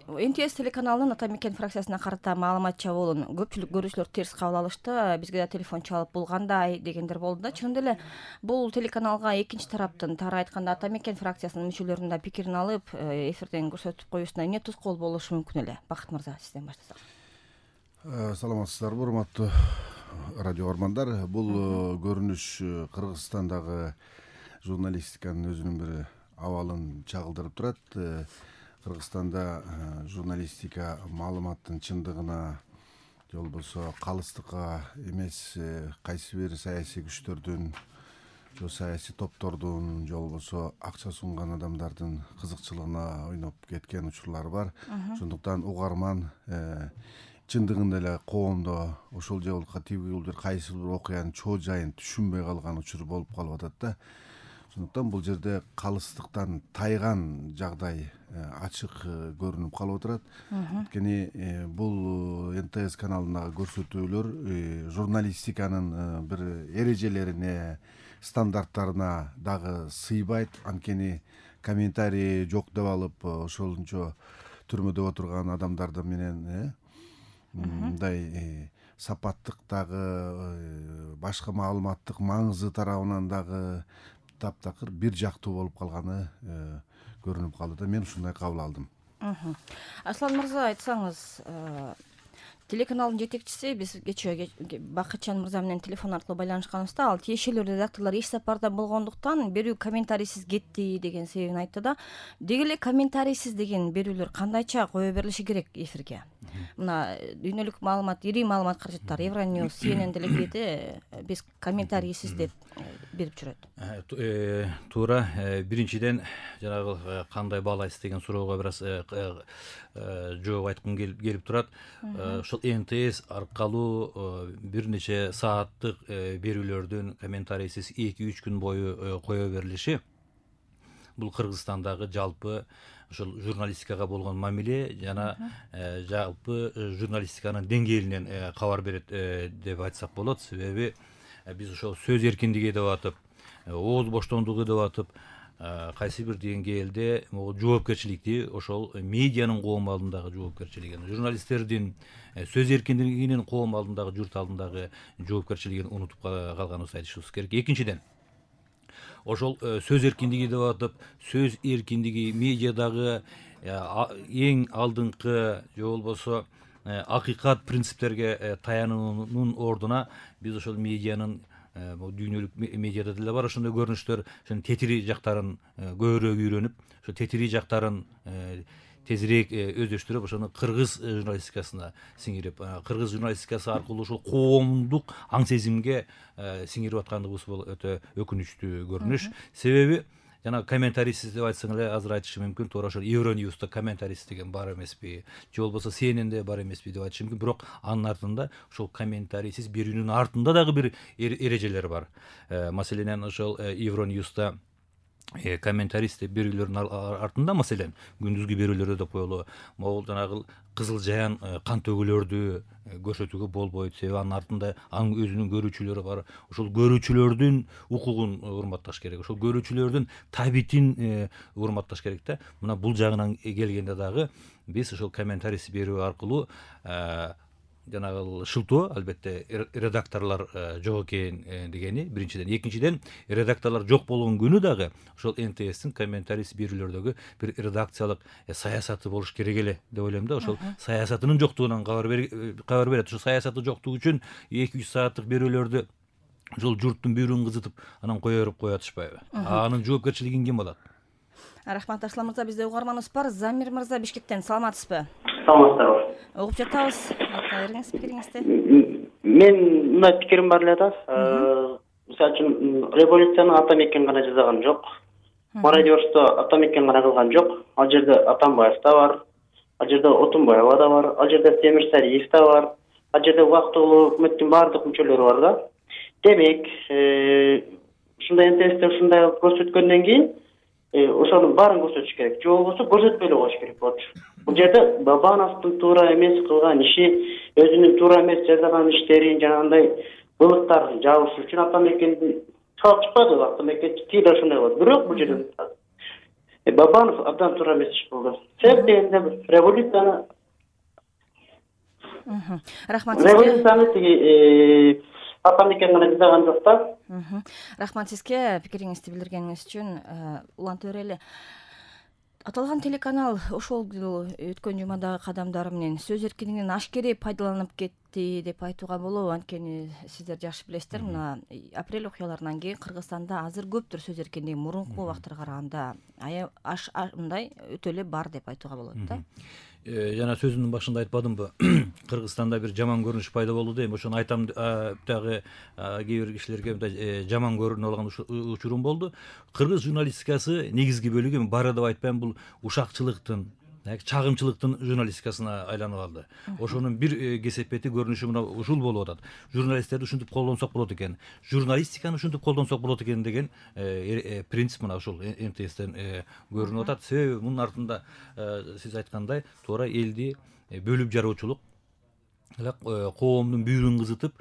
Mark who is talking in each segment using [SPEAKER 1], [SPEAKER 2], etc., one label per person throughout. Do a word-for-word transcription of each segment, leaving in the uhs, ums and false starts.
[SPEAKER 1] эн тэ эс телеканалынын Ата Мекен фракциясына карата маалымат чабуулун көпчүлүк көрүүчүлөр терс кабыл алышты. Бизге да телефон чалып бул кандай дегендер болду да. Чындап эле бул телеканалга экинчи тараптын, тары айтканда Ата Мекен фракциясынын мүчөлөрүнүн да пикирин алып, эфирден көрсөтүп коюусуна эмне тоскоол болушу мүмкүн эле? Бакыт мырза, сизден баштасак.
[SPEAKER 2] Саламатсыздарбы, урматтуу радио армандар. Бул көрүнүш Кыргызстандагы журналистиканын өзүнүн бир абалын чагылдырып турат. Кыргызстанда журналистика маалыматтын чындыгына же болбосо калыстыкка эмес кайсы бир саясий күчтөрдүн же саясий топтордун же болбосо акча сунган адамдардын кызыкчылыгына ойноп кеткен учурлар бар. Ошондуктан угарман чындыгында эле коомдо ошол же болбосо тиги бир кайсы бир окуянын чоо жайын түшүнбөй калган учур болуп калып атат да. Ошондуктан бул жерде калыстыктан тайган жагдай ачык көрүнүп калып отурат. Анткени бул эн тэ эс каналындагы көрсөтүүлөр журналистиканын бир эрежелерине, стандарттарына дагы сыйбайт. Анткени комментарий жок деп алып, ошолунчо түрмөдө отурган адамдар менен мындай сапаттыктагы, башка маалыматтык маңызы тарабынан дагы таптакыр бир жактуу болуп калганы көрүнүп калды да. Мен ушундай кабыл алдым.
[SPEAKER 1] Аслан мырза, айтсаңыз, телеканалдын жетекчиси, биз кечээ Бакытжан мырза менен телефон аркылуу байланышканыбызда, ал тиешелүү редакторлор иш сапарда болгондуктан берүү комментарийсиз кетти деген себебин айтты да. Деги эле комментарийсиз деген берүүлөр кандайча кое берилиши керек эфирге? Мына дүйнөлүк маалымат, ири маалымат каражаттары, Евроньюз, си эн эн делегети биз комментарийсиз деп берип жүрөт.
[SPEAKER 3] Туура, биринчиден жанагы кандай баалайсыз деген суроого бир аз жооп айткым келип турат. Ошол эн тэ эс аркылуу бир нече сааттык берүүлөрдүн комментарийсиз эки үч күн бою кое берилиши бул Кыргызстандагы жалпы ошол журналистикага болгон мамиле жана жалпы журналистиканын деңгээлинен кабар берет деп айтсак болот. Себеби биз ошол сөз эркиндиги деп атып, ооз боштондугу деп атып, кайсы бир деңгээлде жоопкерчиликти, ошол медианын коом алдындагы жоопкерчилигин, журналисттердин сөз эркиндигинин коом алдындагы, журт алдындагы жоопкерчилигин унутуп калганыбызды айтышыбыз керек. Экинчиден, ошол сөз эркиндиги деп атып, сөз эркиндиги медиадагы эң алдыңкы же болбосо акыйкат принциптерге таянуунун ордуна биз ошол медианын дүйнөлүк медиада деле бар ошондой көрүнүштөр, ошонун тетири жактарын көбүрөөк үйрөнүп, ошо тетири жактарын тезирээк өздөштүрүп, ошону кыргыз журналистикасына сиңирип, кыргыз журналистикасы аркылуу ошол коомдук аң сезимге сиңирип аткандыгыбыз бул өтө өкүнүчтүү көрүнүш. Себеби жана комментарийсиз деп айтсаң эле азыр айтышым мүмкүн, туура ошол Евроньюзда комментарийсиз деген бар эмеспи, же болбосо си эн энде бар эмеспи деп айтышым мүмкүн. Бирок анын артында ошол комментарийсиз берүүнүн артында дагы бир эрежелер бар. Маселен, ошол Евроньюзда комментарийсиз деп берүүлөрдүн артында, маселен, күндүзгү берүүлөрдө деп коелу, могул жанагы Кызыл Жаян кан төгүүлөрдү көрсөтүүгө болбойт. Себеби анын артында анын өзүнүн көрүүчүлөрү бар. Ошол көрүүчүлөрдүн укугун урматташ керек. Ошол көрүүчүлөрдүн табитин урматташ керек да. Мына бул жагынан келгенде дагы биз ошол комментарийсиз берүү аркылуу жанагы шылтоо, албетте редакторлор жок экен дегени биринчиден. Экинчиден, редакторлор жок болгон күнү дагы ошол эн тэ эстин комментарийсиз берүүлөрдөгү бир редакциялык саясаты болуш керек эле деп ойлойм да. Ошол саясатынын жоктугунан кабар берет. Ошол саясаты жоктугу үчүн эки үч сааттык берүүлөрдү ошол журттун бүйрүгүн кызытып анан кое берип кое атышпайбы? Анын жоопкерчилигин ким алат?
[SPEAKER 1] Рахмат. Аслан мырза, бизде угарманыбыз бар. Замир мырза, Бишкектен, саламатсызбы?
[SPEAKER 4] Саламатсыздарбы.
[SPEAKER 1] Угуп жатабыз. Айрыңыз пикириңизди.
[SPEAKER 4] Мен мындай пикирим бар эле да. Мисалы үчүн революцияны Ата Мекен гана жасаган жок. Мародерство Ата Мекен гана кылган жок. Ал жерде Атамбаев да бар. Ал жерде Отунбаева да бар. Ал жерде Темирсариев да бар. Ал жерде убактылуу өкмөттүн баардык мүчөлөрү бар да. Демек, ушундай эн тэ эсте ушундай көрсөткөндөн кийин ошонун баарын көрсөтүш керек. Же болбосо көрсөтпөй эле коюш керек болчу. Бул жерде Бабановдун туура эмес кылган иши, өзүнүн туура эмес жасаган иштерин, жанагындай былыктарын жабыш үчүн Ата Мекенди чалып чыкпады. Ата Мекен тиги ошондой болот. Бирок бул жерде Бабанов абдан туура эмес болду. Себеп дегенде революцияны
[SPEAKER 1] рахмат сизге.
[SPEAKER 4] Революцияны тиги Атамекен гана жасаган жок да.
[SPEAKER 1] Рахмат сизге пикириңизди билдиргениңиз үчүн. Улан Төрели, аталган телеканал ошол өткөн жумадагы кадамдары менен сөз эркиндигинен ашкерей пайдаланып кетти деп айтууга болобу? Анткени сиздер жакшы билесиздер, мына апрель окуяларынан кийин Кыргызстанда азыр көптүр сөз эркиндиги мурунку убактарга караганда аш мындай өтө эле бар деп айтууга болот да.
[SPEAKER 3] Жана сөзүмдүн башында айтпадымбы, Кыргызстанда бир жаман көрүнүш пайда болду дейм. Ошону айтам, дагы кээ бир кишилерге жаман көрүнүп алган учурум болду. Кыргыз журналистикасы негизги бөлүгү бары деп айтпайм, бул ушакчылыктын, чагымчылыктын журналистикасына айланып алды. Ошонун бир кесепети көрүнүшү мына ушул болуп атат. Журналисттерди ушинтип колдонсок болот экен, журналистиканы ушинтип колдонсок болот экен деген принцип мына ушул эм тэ эстен көрүнүп атат. Себеби мунун артында сиз айткандай туура элди бөлүп жаруучулук, коомдун бүйүрүн кызытып,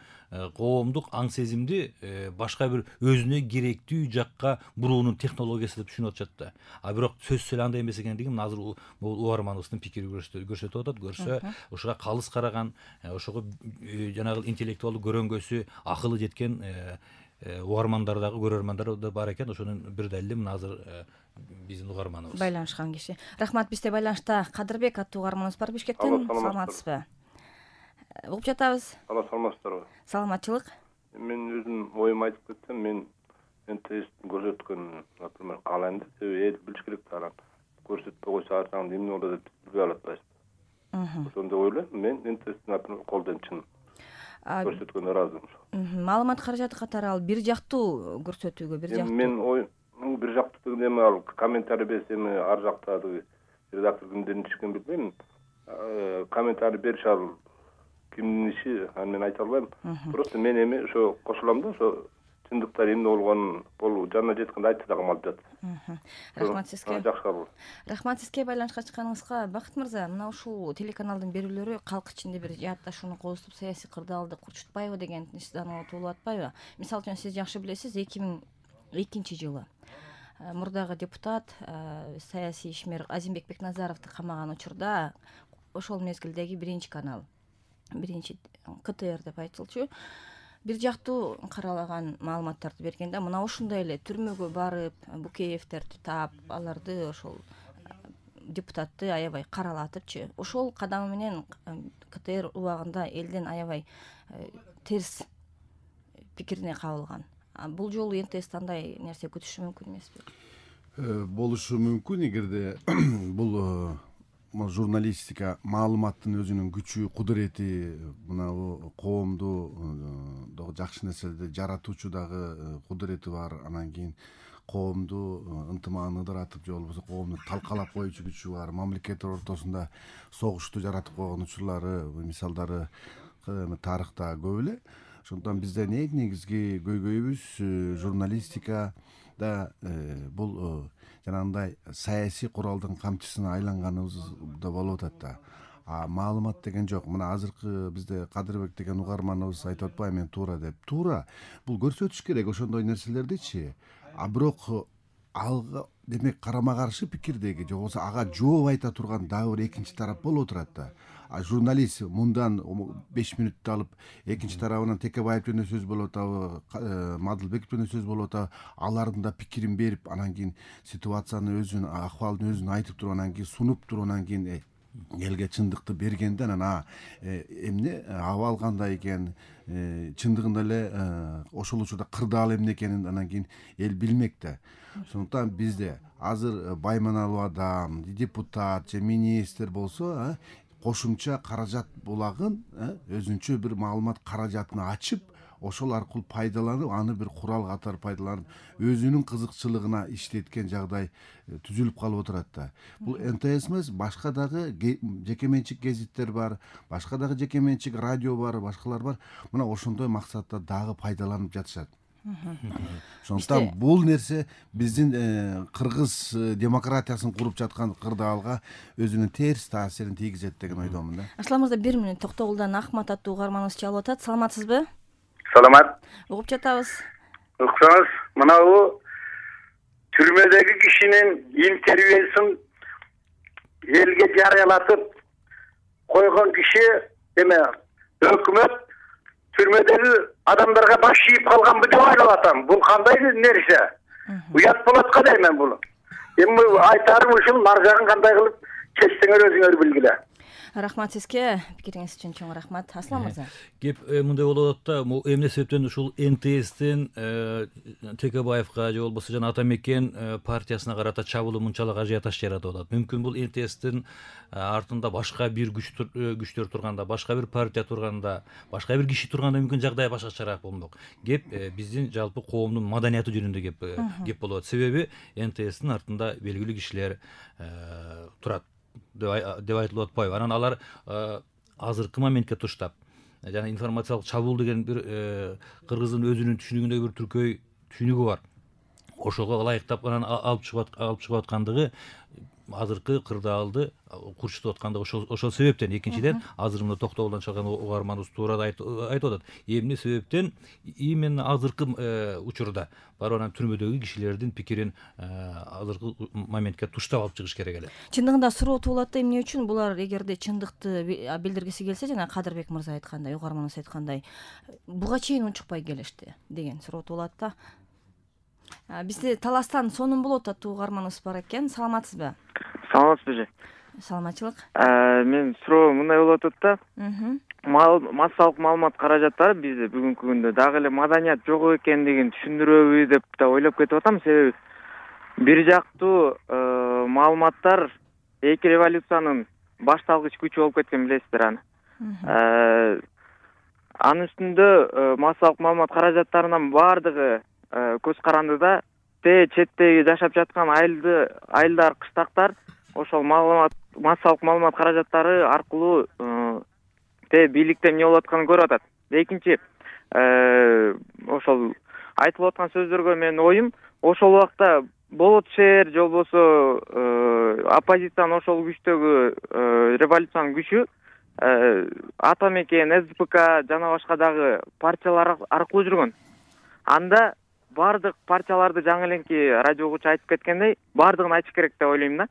[SPEAKER 3] коомдук аң сезимди башка бир өзүнө керектүү жакка буруунун технологиясы деп түшүнүп атышат да. А бирок сөзсүз эле андай эмес экендигин азыр угарманыбыздын пикири көрсөтүп атат. Көрсө, ошого калыс караган, ошого жанагы интеллектуалдуу көрөңгөсү, акылы жеткен угармандар дагы, көрөрмандар да бар экен. Ошонун бир далили мына азыр биздин угарманыбыз.
[SPEAKER 1] Байланышкан киши. Рахмат, бизде байланышта Кадырбек аттуу угарманыбыз бар Бишкектен. Саламатсызбы? Угуп жатабыз.
[SPEAKER 5] Ала саламатсыздарбы?
[SPEAKER 1] Саламатчылык.
[SPEAKER 5] Мен өзүм оюмду айтып кетсем, мен эм тэ эстин көрсөткөн, например, каалайм да, себеби эл билиш керек да, анан көрсөтпөй койсо ар жагында эмне болот деп билбей алат атпайсызбы. Ошондой ойлойм. Мен эм тэ эстин, например, колдойм, чын көрсөткөнгө ыраазымын.
[SPEAKER 1] Маалымат каражаты катары ал бир жактуу көрсөтүүгө, бир жактуу.
[SPEAKER 5] Мен ой бир жактуу деген эме, ал комментарий берсем, ар жакта редактор кимдердин ишин билбейм. Комментарий бериш ал кимдин иши, аны мен айта албайм. Просто мен эми ошо кошулам да, ошо чындыктар эмне болгонун болуп жанына жеткенде айтты да калып жатат.
[SPEAKER 1] Рахмат сизге.
[SPEAKER 5] Жакшы кабыл.
[SPEAKER 1] Рахмат сизге байланышка чыкканыңызга. Бакыт мырза, мына ушул телеканалдын берүүлөрү калк ичинде бир жаатташууну козутуп, саясий кырдаалды курчутпайбы деген ишдануу туулуп атпайбы? Мисалы үчүн сиз жакшы билесиз, эки миң экинчи жылы мурдагы депутат, саясий ишмер Азимбек Бекназаровду камаган учурда ошол мезгилдеги биринчи канал, биринчи ка тэ эр деп айтылчу, бир жактуу каралаган маалыматтарды бергенде, мына ушундай эле түрмөгө барып, Букеевтерди таап, аларды ошол депутатты аябай каралатыпчы. Ошол кадамы менен ка тэ эр убагында элден аябай терс пикирине кабылган. Бул жолу эм тэ эс андай нерсе күтүшү мүмкүн эмеспи?
[SPEAKER 2] Болушу мүмкүн, эгерде бул журналистика маалыматтын өзүнүн күчү, кудурети, мына коомду жакшы нерселерди жаратуучу дагы кудурети бар. Анан кийин коомду ынтымагын ыдыратып, же болбосо коомду талкалап коюучу күчү бар. Мамлекеттер ортосунда согушту жаратып койгон учурлары, мисалдары тарыхта көп эле. Ошондон биздин эң негизги көйгөйүбүз журналистикада бул жанагындай саясий куралдын камчысына айланганыбызда болуп атат да. А маалымат деген жок. Мына азыркы бизде Кадырбек деген угарманыбыз айтып атпайбы, мен туура деп. Туура. Бул көрсөтүш керек ошондой нерселердичи. А бирок алга демек карама каршы пикирдеги, же болбосо ага жооп айта турган дагы бир экинчи тарап болуп турат да. А журналист мындан беш мүнөттү алып, экинчи тарабынан Текебаев жөнүндө сөз болуп атабы, Мадылбеков жөнүндө сөз болуп атабы, алардын да пикирин берип, анан кийин ситуациянын өзүн, акыбалдын өзүн айтып туруп, анан кийин сунуп туруп, анан кийин элге чындыкты бергенде, анан эмне абал кандай экен, чындыгында эле ошол учурда кырдаал эмне экенин анан кийин эл билмек да. Ошондуктан бизде азыр байманалуу адам, депутат же министр болсо, кошумча каражат булагын, өзүнчө бир маалымат каражатын ачып, ошол аркылуу пайдаланып, аны бир курал катары пайдаланып, өзүнүн кызыкчылыгына иштеткен жагдай түзүлүп калып отурат да. Бул эм тэ эс эмес, башка дагы жеке менчик гезиттер бар, башка дагы жеке менчик радио бар, башкалар бар. Мына ошондой максатта дагы пайдаланып жатышат. Ошондуктан бул нерсе биздин кыргыз демократиясын куруп жаткан кырдаалга өзүнүн терс таасирин тийгизет деген ойдомун да.
[SPEAKER 1] Асланыбызда бир мүнөт Токтогулдан Ахмат аттуу угарманыбыз чалып атат. Саламатсызбы?
[SPEAKER 6] Саламат.
[SPEAKER 1] Угуп жатабыз.
[SPEAKER 6] Уксаңыз, мынабу түрмөдөгү кишинин интервьюсун элге жарыялатып койгон киши эме өкмөт түрмөдөгү адамдарга баш ийип калганбы деп ойлоп атам. Бул кандай нерсе? Уят болот го дейм бул. Эми айтарым ушул, маржагын кандай кылып чечсеңер өзүңөр билгиле.
[SPEAKER 1] Рахмат сизге, пикириңиз үчүн чоң рахмат. Аслан мырза.
[SPEAKER 3] Кеп мындай болуп атат да, эмне себептен ушул эн тэ эстин Текебаевга же болбосо жана Ата Мекен партиясына карата чабуулу мынчалык ажиотаж жаратып атат. Мүмкүн бул эн тэ эстин артында башка бир күчтөр турганда, башка бир партия турганда, башка бир киши турганда мүмкүн жагдай башкачараак болмок. Кеп биздин жалпы коомдун маданияты жөнүндө кеп кеп болуп атат. Себеби эн тэ эстин артында белгилүү кишилер турат деп айтылып атпайбы. Анан алар азыркы моментке туштап жана информациялык чабуул деген бир кыргыздын өзүнүн түшүнүгүндөгү бир түркөй түшүнүгү бар. Ошого ылайыктап анан алып чыгып алып чыгып аткандыгы азыркы кырдаалды курчутуп аткандыгы ошол ошол себептен. Экинчиден, азыр мына Токтогулдан чыккан угарманыбыз туурада айтып атат. Эмне себептен именно азыркы учурда барып анан түрмөдөгү кишилердин пикирин азыркы моментке туштап алып чыгыш керек эле.
[SPEAKER 1] Чындыгында суроо туулат да, эмне үчүн булар эгерде чындыкты билдиргиси келсе, жана Кадырбек мырза айткандай, угарманыбыз айткандай, буга чейин унчукпай келишти деген суроо туулат да. Бизде Таластан Сонун болот аттуу угарманыбыз бар экен. Саламатсызбы?
[SPEAKER 7] Саламатсызбы?
[SPEAKER 1] Саламатчылык.
[SPEAKER 7] Мен суроо мындай болуп атат да. Массалык маалымат каражаттары бизде бүгүнкү күндө дагы эле маданият жок экендигин түшүндүрөбү деп да ойлоп кетип атам. Себеби бир жактуу маалыматтар эки революциянын башталгыч күчү болуп кеткен, билесиздер аны. Анын үстүндө массалык маалымат каражаттарынын баардыгы көз карандыда, те четтеги жашап жаткан айылды айылдар, кыштактар ошол маалымат массалык маалымат каражаттары аркылуу те бийликте эмне болуп атканын көрүп атат. Экинчи, ошол айтылып аткан сөздөргө менин оюм, ошол убакта болот шээр же болбосо оппозициянын ошол күчтөгү революциянын күчү Ата Мекен, эс дэ пэ ка жана башка дагы партиялар аркылуу жүргөн. Анда бардык партияларды жаңы эленки радио угуучу айтып кеткендей, бардыгын айтыш керек деп ойлойм да.